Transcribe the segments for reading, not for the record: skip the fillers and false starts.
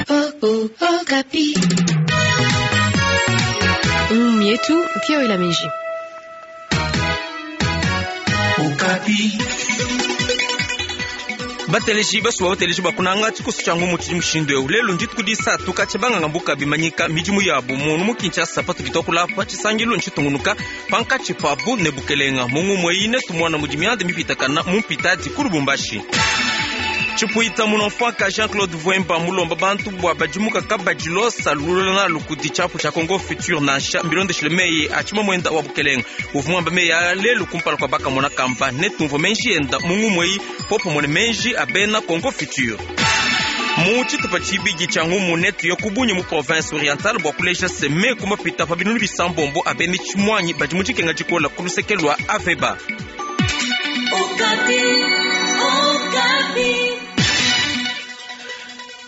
Okapi. Mietu pia wela meji. Okapi. Bateleji basuwa bateleji bakunanga tshikoso tshia ngumu tshidi mushindu eu lelu ndituku disatu katshia banganga mbuka bimanyika midimu yabu munu mu Kinshasa patudi tuakula tshisangilu ntshitungunuka pankatshi pabu ne bukelenga mu ngumu eyi netumona mudi mianda mipitakana mu mpitadi ku Lubumbashi. Tshipuita munofaka Jean-Claude Vuemba mulomba bantu bua badimuka kabadilosa lulula nalu kudi tshiapu tshia Congo Futur nansha mbilondeshile meyi a tshimamwenda wa bukelenga uvua muamba meyi a lelu kumpala kua bakamona kamba netumvue menji enda mu ngumu eyi popamue ne menji a bena Congo Futur. Mu tshitupa tshibidi tshia ngumu netuye ku Bunia mu province orientale bua kuleja se meku mapita pa binunu bisambombo a bena tshimuangi badi mu dikenga dikola ku luseke lua Aveba. Okapi, Okapi.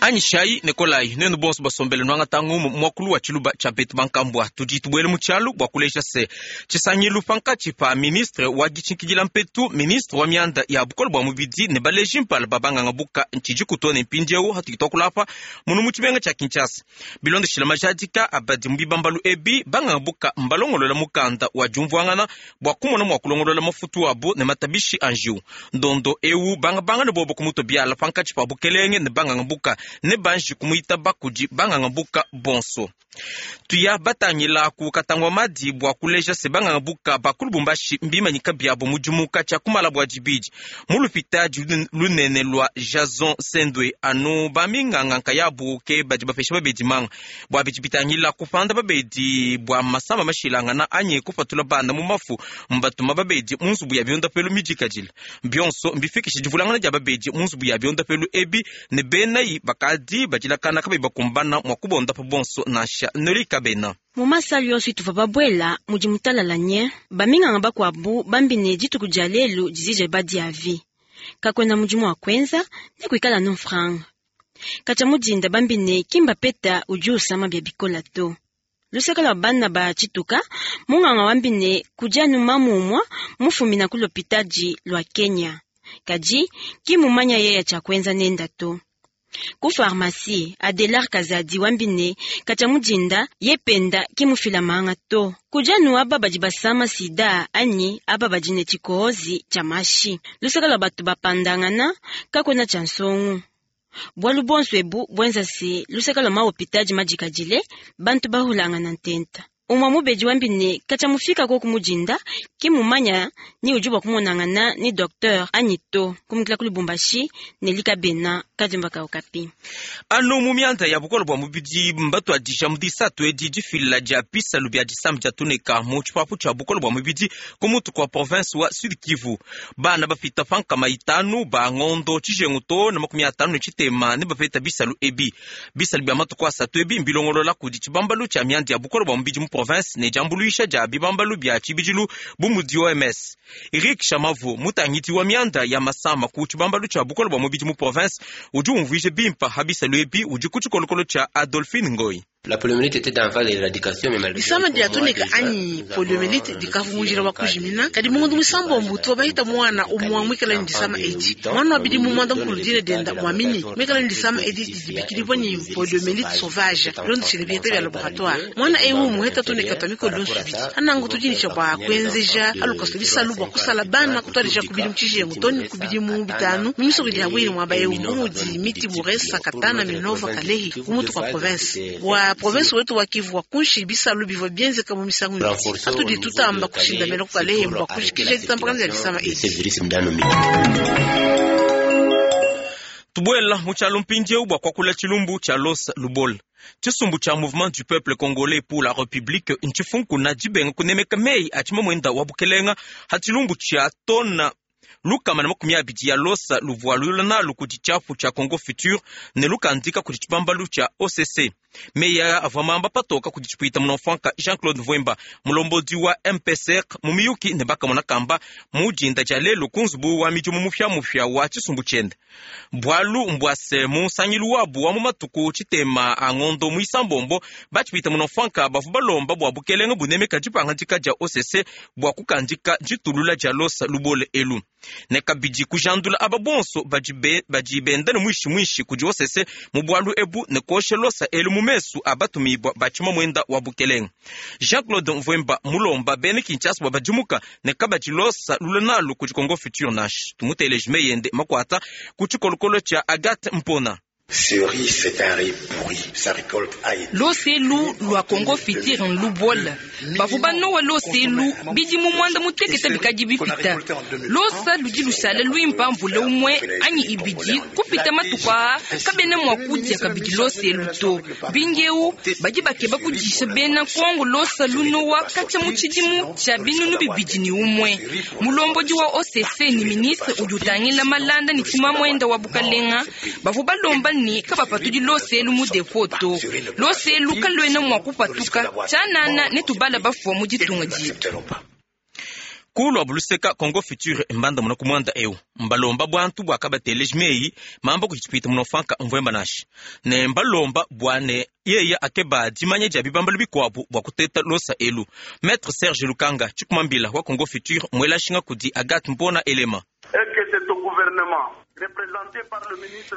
Anyishayi ne kolayi nuenu bonso basombele nuangata ngumu muakulu wa tshiluba tshia betu bankambua. Tudi tubuela mu tshialu bua kuleja se tshisangilu pankatshi pa ministre wa ditshinkidila mpetu, ministre wa mianda ya bukole bua mubidi ne baleji mpala ba banganga buka ntshidi kutua ne mpindieu hatudi tuakula apa munu mu tshimenga tshia Kinshasa. Bilondeshile majadika abadi mu bibambalu ebi, banganga buka mbalongolola mukanda wa diumvuangana bua kumona mua kulongolola mafutu abu ne matabishi a njiwu. Ndondo eu bangabanga ne bobo kumutua biala pankatshi pa bukelenge ne banganga buka ne banji kumuitaba kudi banganga buka bonso. Tuya batangila ku katangwa madi bua kuleja se banganga buka ba ku Lubumbashi mbimanyika biabo mudimu katshia kumala bua dibidi mu lupitadi lunene lua Jason Sendwe. Anu baminganga nkayabu ke badi bapesha babedi manga bua bidi bitangila kupanda babedi bua masama mashilangana anyi kupatula bana mu mafu, mbatuma babedi mu nzubu ya biondapelu midikadile. Bionso mbifikishe divulangana dia babedi mu nzubu ya biondapelu ebi ne benayi bakadi badilakana kabayi bakumbana mua kubondapa bonso nansha noli kabena. Mu masala yonso ituvua babuela mudi mutalala nye baminganga bakuabu bambi ne dituku dia lelu dizije badiavi kakuena mudimu wa kuenza ne kuikala no mfranga katshia mudinda bambi ne kimba peta udi usama bia bikola to. Luseke lua bana ba tshituka munganga wambi ne kudi anu mamu umua mufumina ku lopitadi lua Kenya kadi kimumanya yeya tshia kuenza nenda to. Ku pharmacie Adelar Kazadi wambi ne katshia mudinda ye penda kimufila manga to. Kudi anu aba badi basama sida anyi aba badi ne tshikohozi tshia mashi. Luseke lua bato bapandangana kakuena tshia nsongu. Bualu bonso ebu buenza se luseke lua mahopitadi madikadile bantu bahulangana ntenta. Umua mubedi wambi ne katshia mufika koku mudinda kimumanya ni udi bua kumonangana ni docteur anyi to kumukila ku Lubumbashi ne likabena kadiomba ka Okapi. Anu mu mianda ya bukole bua mubidi mbatuadija mu disatu edi difila dia bisalu bia disama dia tuneka mu tshipapu tshia bukole bua mubidi ku mutu kua province wa Sud Kivu. Bana bapita pa nkama itanu ba ngondo tshijengu to na 50 ne tshitema ne bapeta bisalu ebi. Bisalu bia matuku asatu ebi mbilongolola kudi tshibambalu tshia mianda ya bukole bua mubidi mu province ne diambuluisha dia bibambalu bia tshibidilu bu mudi OMS. Eric Shamavu mutangidi wa mianda ya masama ku tshibambalu tshia bukole bua mubidi mu province udi umvuija bimpa ha bisalu ebi udi ku tshikolokolo tshia Adolphine Ngoyi. La poliomyélite était en phase d'éradication, mais malgré Disama dia tuneka anyi poliomyélite dikavua wa kujimina kadi mungundu muisambombo tuwa bahita mwana umua mwikala ni disama edi mwana wa bidimu mwanda mukulu dina denda mwamini mwikala ni disama edi didibikilibwa ni poliomyélite sauvage londeshele biheta bia laboratoire mwana ewu muheta tuneka twa mikolo yonso ibidi anangu tudinisha bua kuenzeja alukaso bisalu bua kusala bana kutuadija ku bidimu tshijengu toni ku bidimu bitanu mu misoko idi habwili muaba ewu bu mudi miti Buresa Katana Minova Kalehi ku mutu kua province wa province wetu wa Kivu wa kunshi bisalu bivua bienzeka mu misangu ibidi atudi tutamba kushindamena ku Kalehe bua kujikija ditambakana dia disama edi. Tubuela mu tshialu mpindieu bua kuakula tshilumbu tshia Los Lubol. Tshisumbu tshia Mouvement du Peuple Congolais pour la République ntshifunkuna dibenga kunemeka meyi a tshimamwenda wa bukelenga ha tshilumbu tshia tona 120 ya losa luvua lula nalu kudi tshiapu tshia Congo Futur ne lukandika kudi tshibambalu tshia OCC. Meyi aya avua mamba patoka kudi tshipuita munofranka Jean-Claude Vuemba mulombodi wa MPCR mu miyuki ne bakamona kamba mu dinda dia lelu ku nzubu wa midimu mupiamupia wa tshisumbu tshiende. Bualu mbuase mu nsangilu wabu wa mu matuku tshitema a ngondo muisambombo batshipuita munofranka bavua balomba bua bukelenge bunemeka dipangadika dia OCC bua kukandika ditulula dia losa lubole elu. Ne kabidi kujandula aba bonso badi benda ne muishi muishi kudi OCC mu bualu ebu ne kosha losa elu mu mesu a batumibua ba tshimamwenda wa bukelenge. Jean-Claude Mvuemba mulomba bena Kinshasa bua badimuka ne kabadi losa lula nalu kudi Congo Futur nash. Tumuteleje meyende makwata ku tshikolokolo tshia Agathe Mpona. Ce riz, c'est un riz pourri. Sa récolte a été. Loselu lwa Congo Futur nlubola. Bavua banowa loselu bidi mu mwanda mutekete bikadi bipita. Losa ludi lushala luimpa mvula umwe anyi ibidi kupita matuku aa kabena mua kudia kabidi loselu to. Mpindieu badi bakeba kudisha bena Kongo losa lunowa katshia mu tshidimu tshia binunu 2001. Mulombodi wa OCC ni ministre udi utangila malanda ne tshimamwenda wa bukalenga bavua balomba ni kabapatudi loselu mu depo to. Loselu kaluena mua kupatuka tshianana ne tubala bafua mu ditunga dietu. Kulwa buluseka Congo Futur mbanda muna kumwanda eu mbalomba bwantu bwa kabateleji meyi mamba kuchipita munofanka mvwemba nashi ne mbalomba bwane yeye akeba dimanya dia bibambalu bikwabu bwa kuteta losa elu. Maître Serge Lukanga chikumambila wa Congo Futur mwelashinga kudi Agathe Mpona Elema.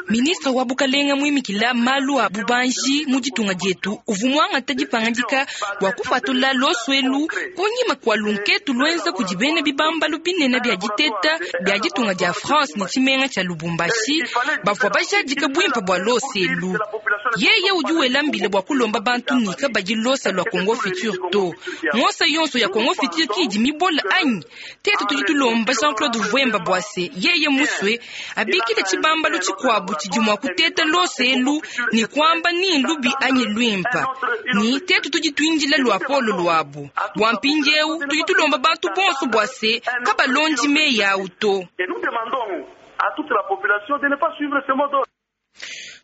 Ministre wa bukalenga muimikila malu a bubanji mu ditunga dietu uvua muangata dipangadika bua kupatula loswelu kunyima kua lunketu luenza kudi bena bibambalu binene bia diteta bia ditunga dia France ne tshimenga tshia Lubumbashi bavua bajadika buimpe bua loselu. Yeye udi wela mbila bua kulomba bantu ni kabadi losa lua Congo Futur to. Mosa yonso ya Congo Futur kidi mibola anyi tetu tudi tulomba Jean-Claude Vuemba bwase yeye muswe abikile tshibambalu tshikuabu tshidi mua kuteta loselu ni kwamba ni lubi anyi luimpa ni tetu tudi tuindila lua polo luabu bua mpindieu tudi tulomba bantu bonso bwase kabalondi meyi awu to.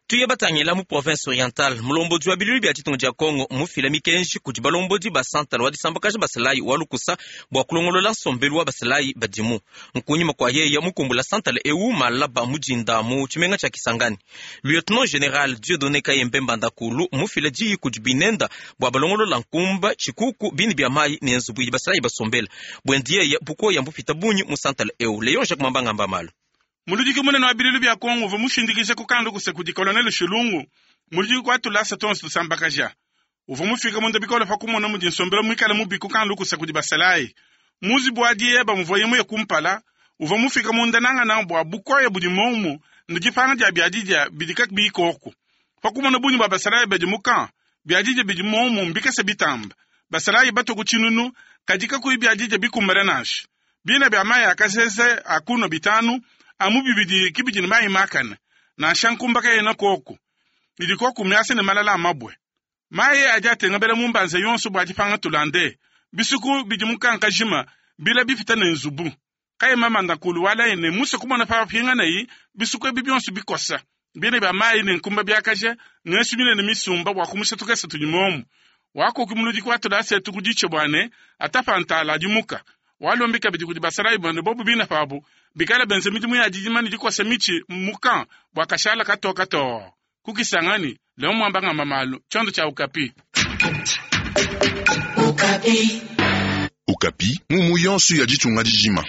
Tuye batangila mu province orientale mulombodi wa bilulu bia ditunga dia Kongo mufila mikenji kudi balombodi ba santala wa disambakaja basalayi wa lukusa bua kulongolola nsombelu wa basalayi badimu. Nkunyima kua yeye mukumbula santala eu malaba mujinda mu tshimenga tshia Kisangani. Lieutenant General Dieudonné Kayembe Mbandakulu mufila diyi kudi binenda bua balongolola nkumba tshikuku bini bia mayi ne nzubu idi basalayi basombela. Bwendi yeye bukoya mbupita bunyi mu santala eu. Leon Jacques Mambanga Mbamalu. Muludiki munene wa bilulu bia Kongo uvua mushindikije kukandu kuse kudi Colonel Shilungu muludiki kwa tulasa tonso tusambakaja. Uvua mufika munda bikole pa kumona mudi nsombelo muikale mubi kukandu kuse kudi basalayi. Muzibu wa dieba muvuaye muye kumpala uvua mufika munda nangana bua bukoya budi momu ne dipanga dia biadidia bidi kabiyi koku. Pa kumona bungi bua basalayi badi mu camp biadidia bidi momu mbikese bitamba. Basalayi batue ku tshinunu kadi kakuyi biadidia bikumbana nansha. Bina bia mayi akasese akuno bitanu amu bibidi kibidi ne mayi makane nansha nkumba kayena koku idi koku miase ne malala a mabue. Mayi adi atengabela mu mbanza yonso bua dipanga tulande bisuku bidi mukankajima bila bipita ne nzubu. Kayema mandakulu walaye ne musa kumona pa pinganayi bisuku ebi bionso bikosa bine bia mayi ne nkumba biakaja ngesu binene misumba bua kumusha tukese tudi momu. Wakoki muludiki wa tulasa etu kudiche bwane atapa ntala adimuka. Walombi kabidi kudi basalayi bane bobu bina pabu bikala benze midimu ya didima ne dikosa mitshi mukan bua kashala katoka too. Kukisangani leo mwamba ngamba malu tshiondo tshia Okapi. Okapi. Okapi mumu yonso ya ditunga dijima.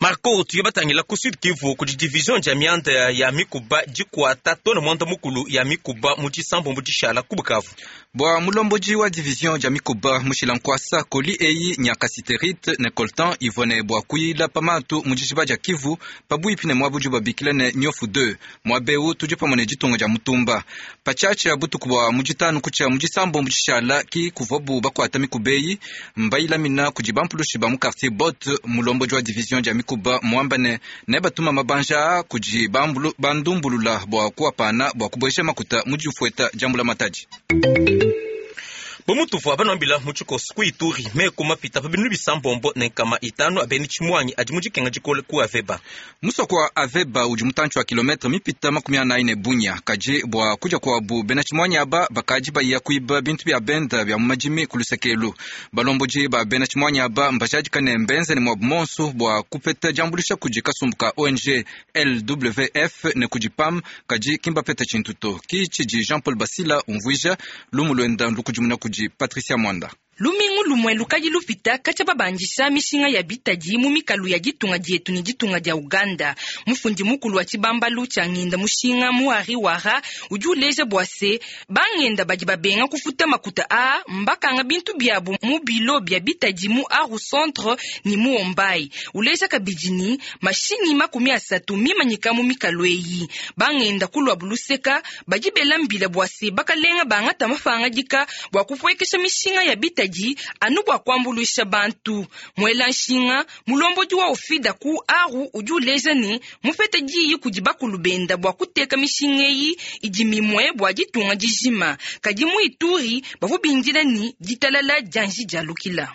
Marco tuye batangila ku Sud Kivu kudi division dia mianda ya mikuba dikuata tona mwanda mukulu ya mikuba mu disambo mu dishala ku Bukavu. Bua mulombodi wa division dia mikuba mushila nkwasa koli eyi nyakasiterite ne coltan ivone bua kuyila pamatu mu dijiba dia Kivu pabuipi ne muabu babikila ne nyofu 2 muabeu tudi pamue ne ditunga dia mutumba. Patshiatshia butuku bua mu ditanu kutshia mu disambo mu dishala ki kuvuabu bakuata mikuba eyi mbayilamina kudi bampulushi ba mu quartier Bot. Mulombodi wa division dia mikuba muamba ne nebatuma mabanja kudi bandumbulula bua kuapana bua kubuesha makuta mu difueta diambula matadi. Bomutuvu abanambila mu tshikoso ku Ituri meko mapita pa binu bisambombo ne nkama itanu abeni tshimwanyi adi mu dikenga dikole ku Aveba. Musoko wa Aveba udi mutantshi wa kilometre mipita 44 ne Bunya kadi bua kudia kuabu bena tshimwanyi aba bakadi baya kuiba bintu bia benda bia mu madimi ku lusekelu. Balombodi ba bena tshimwanyi aba mbajadika ne mbenze ne muabu monso bua kupeta diambulisha kudi kasumbu ka ONG LWF ne kudi PAM kadi kimbapeta tshintu to. Ki tshidi Jean Paul Basila umvuija lumu luenda lukudimuna kudi Patricia Mwanda. Lumingu lumue lukadi lupita katshia babandisha mishinga ya bitadi mu mikalu ya ditunga dietu ne ditunga dia Uganda. Mufundi mukulu wa tshibambalu tshia ngenda mushinga Muhari Wara udi uleja bua se, bangenda badi babenga kufuta makuta aa mbakanga bintu biabu mu bilo bia bitadi mu Aru Centre ne mu Ombai. Uleja kabidi ne, mashinyi 30 mimanyika mu mikalu eyi. Bangenda ku luabu luseka badi bela mbila bua se, bakalenga bangata mapangadika bua kupuekesha mishinga ya bitadi anu bua kuambuluisha bantu. Muela nshinga mulombodi wa ofida ku Aru udi uleja ne mupete diyi kudi bakulu benda bua kuteka mishinga eyi idi mimue bua ditunga dijima. Kadi mu Ituri bavua bindila ne ditalala dianji dialukila.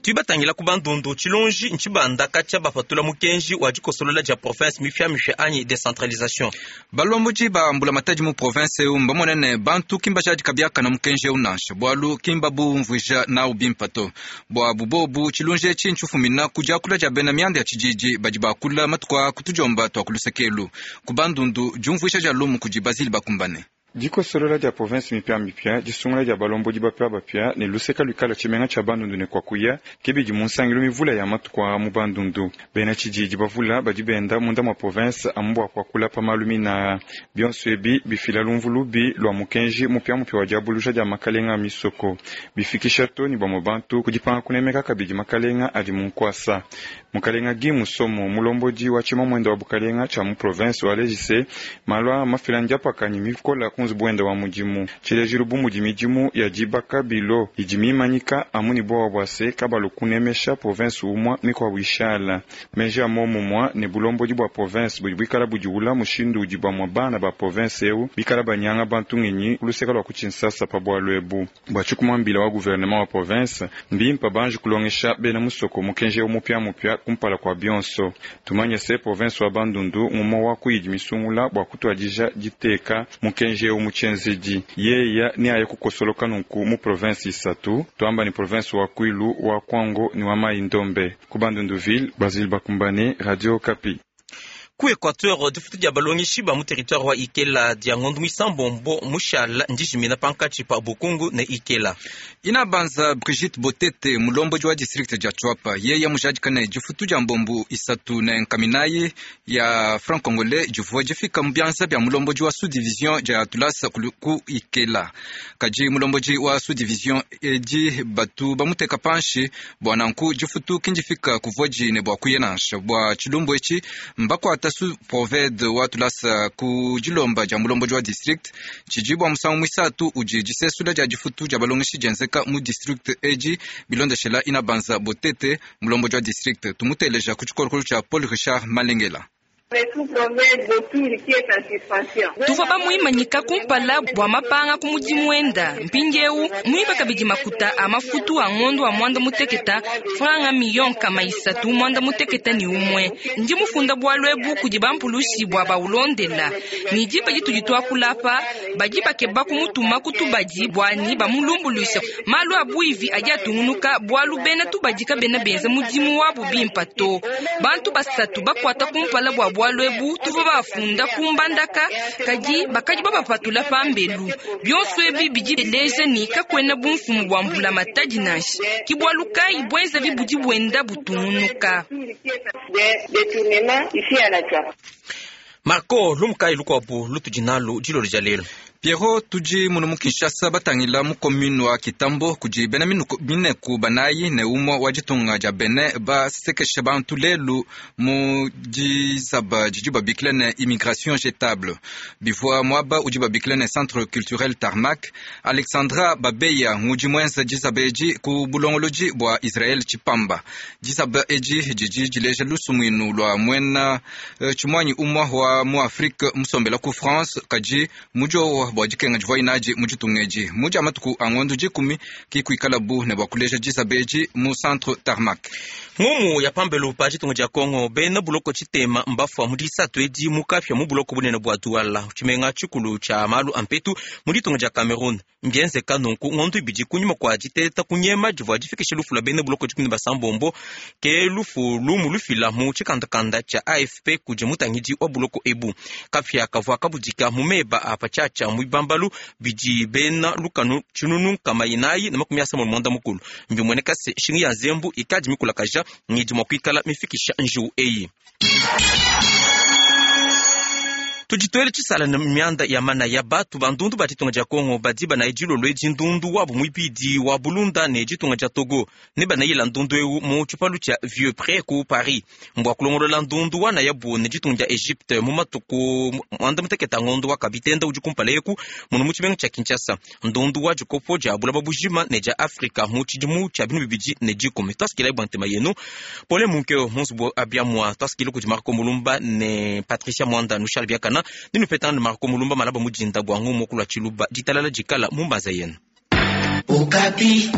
Tuibatangila ku Bandundu tshilonji ntshibanda katshia bapatula mukenji wa dikosolola dia province mipiamipia anyi decentralisation. Balombodi ba mbulamatadi mu province eu mbamone ne bantu ki mbajadika biakana mukenji eu nansha, bualu ki mbabumvuija nawu bimpe to. Bua bubobu tshilunji etshi ntshifumina ku diakula dia bena mianda ya tshididi badi bakula matuku a kutudiomba tua ku lusekelu. Ku Bandundu diumvuija dia lumu kudi Basile Bakumbane. Dikosolola dia province mipiamipia, disungula dia balombodi bapiabapia ne luseka luikala tshimenga tshia Bandundu ne kuakuya ke bidi mu nsangilu mivula ya matuku aa mu Bandundu. Bena tshididi bavula badi benda munda mua province amu bua kuakula pa malu mina. Bionso ebi bifila lumvu lubi lua mukenji mupiamupia wa diabuluja dia makalenga a misoko, bifikisha to ne bamue bantu ku dipanga kunemeka kabidi makalenga adi mu nkuasa. Mukalenga Guy Musomo, mulombodi wa tshimamuenda wa bukalenga tshia mu province wa lejise, malu aa mafila ndiapakanyi mikola ku nzubu wenda wa mudimu. Tshilejilu bu mudi midimu ya dibaka bilo idi mimanyika amu ne buowa bua se kabalu kunemesha province umua mikuabu ishala. Meji a momumua ne bulombodi bua province budi buikala budiwula mushindu udi bamue bana ba province eu bikala banyanga bantu ngenyi ku luseka lua ku Tshinsasa pa bualu ebu. Bua tshikumambila wa gouvernement wa province, mbimpe banji kulongesha bena musoko mukenji eu mupiamupia kumpala kua bionso. Tumanye se province wa Bandundu ngumue wa ku idi misungula bua kutuadija diteka mukenji eu mu tshienzedi. Yeya neaye kukosoloka nunku mu province isatu, tuamba ni province wa Kwilu, wa Kwango ni wa Mai Ndombe. Ku Bandunduville, Basile Bakumbane, Radio Okapi. Ku Equateur difutu dia balongeshi ba mu territoire wa Ikela dia ngondo muisambombo mushala ndijimina pankatshi pa Bukungu ne Ikela. Ina banza Brigitte Botete mulombodi wa district dia Tshuapa yeye mujadika ne difutu dia mbombu isatu ne nkaminayi ya franc congolais divua difika mu bianza bia mulombodi wa sous division dia Tulasa ku Ikela. Kadi mulombodi wa sous division edi batu bamuteka panshi bua nanku difutu kindifika kuvua ne bua kuya nansha bua tshilumbu etshi mbakuata sous proved wa Tulasa ku dilomba dia mulombodi wa district tshidi bua musangu muisatu udi disesula dia difutu dia balongeshi dienzeka mu district edi bilondeshela ina banza Botete mulombodi wa district tumuteleja ku tshikolokolo tshia Paul Richard Malengela. Tuvua bamuimanyika kumpala bua mapanga ku mudimu wenda. Mpindieu muiba kabidi makuta a mafutu a ngondo wa mwanda muteketa franga million kama isatu mwanda muteketa ni umwe. Ndi mufunda bualu ebu kudi bampulushi bua baulondela. Ni diba ditudi tuakulapa badi bakeba kumutuma kutubadi bwani bamulumbuluisha. Malu a buivi adi atungunuka bualu bena tubadi kabena benza mudimu wabu bimpa to. Bantu basatu bakuata kumpala bua bualu ebu tuvua bafunda kumbandaka kadi bakadi babapatula pambelu. Bionso ebi bidi bileja ni kakuena bumfumu bua mbulamatadi nansha. Ki bualu kayi buenza bibudi buenda butungunuka. Marco lumukayi lukuabu lutudi nalu dilolo dia lelu. Pierrot tudi munu mu Kinshasa batangila mu commune wa Kitambo kudi bena mineku banayi ne umue wa ditunga dia Benin basekesha bantu lelu mu dizaba didi babikila ne immigration jetable bivua muaba udi babikila ne centre culturel Tarmac. Alexandra Babeya ngudi muenza dizaba edi ku bulongolodi bua Israel Tshipamba. Dizaba edi didi dileja lusumuinu lua muena tshimuanyi umue wa mu Afrique musombela ku France kadi mujowa bua dikenga divua inaji mu ditunga edi mu dia matuku a ngondo 10 kikuikalabu ne bua kuleja dizaba edi mu centre Tarmac. Ngumu ya pambelu pa ditunga dia Kongo bena buloko tshitema mbafua mu disatu edi mu kapia mu buloko bunene bua Douala tshimenga tshikulu tshia malu a mpetu mu ditunga dia Cameroun. Mbienzeka nunku ngondo ibidi kunyima kua diteta kunyema divua difikisha lufu lua bena buloko 16 ke lufu lumu lufila mu tshikandakanda tshia AFP kudi mutangidi wa buloko. ebu. Kapia kavua kabudika mu meba a patshiatshia mu bibambalu bidi bena lukanu 495. Mbimueneka se nshinga ya nzembu ikadi mikulakaja ngidi mua kuikala mifikisha njiwu eyi. Tudituele tshisala na mianda ya manaya. Batu bandundu ba ditunga dia Kongo badi banaye dilolo edi ndundu wabu muibidi wa bulunda ne ditunga dia Togo ne banayila ndundu eu mu tshipalu tshia Vieux Pré ku Paris mbua kulongolola ndundu wanayabu ne ditunga dia Egypte mu matuku muanda mutekete ngondo wa kabitenda udi kumpala eku muno mu tshimenga tshia Kinshasa. Ndundu wa dikopo dia bulaba bujima ne dia Afrika mu tshidimu tshia 2010. Twasikila bua ntema yenu Pole Munkeo munzubu abiamua. Twasikila kudi Marco Mulumba ne Patricia Mwanda Nushal Biakana ninupetana Marco Mulumba malaba mudinda bwa ngumu kulwa tshiluba ditalala dikala mumbaza yenu. Okapi.